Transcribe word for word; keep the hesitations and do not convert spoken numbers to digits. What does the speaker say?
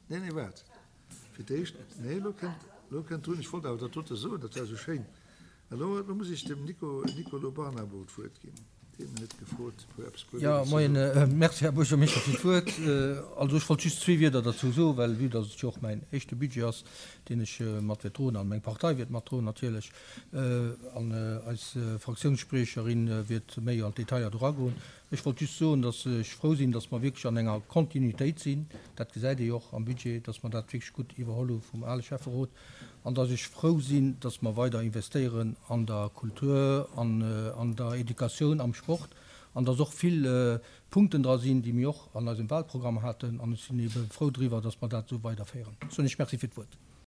Nee, nee, waart. Fir d'éischt, nee, elo kënnt, elo kënnt drun, ech wollt awer dat dote soen, dat war esou schéin. Elo, elo muss ech dem Nico, Nicolo Barnabo d'Wuert ginn. Deen huet gefrot, e puer eppes, puer Ja, Wieder ze moien. soen. Merci, Här Buergermeeschter, fir d'Wuert. Also ech wollt just zwee Wieder derzou soen, well vue dass et jo och mäin éischte Budget ass, deen ech mat wäert droen, an meng Partei wäert matdroen natierlech, an eis Fraktiounsspriecherin wäert méi an d'Detailler do eragoen. Ech wollt just soen, dass ech frou sinn, dass mer wierklech an enger Kontinuitéit sinn. Dat gesäit ee jo och am Budget, dass mer dat wierklech gutt iwwerholl hu vum ale Schäfferot. An dass ech frou sinn, dass mer weider investéieren an der Kultur, an an der Educatioun, am Sport, an dass och vill Punkten dra sinn, déi mir och an eisem Wahlprogramm haten. An ech sinn ebe frou driwwer, dass mer dat esou weiderféieren. Soen ech Merci fir d'Wuert.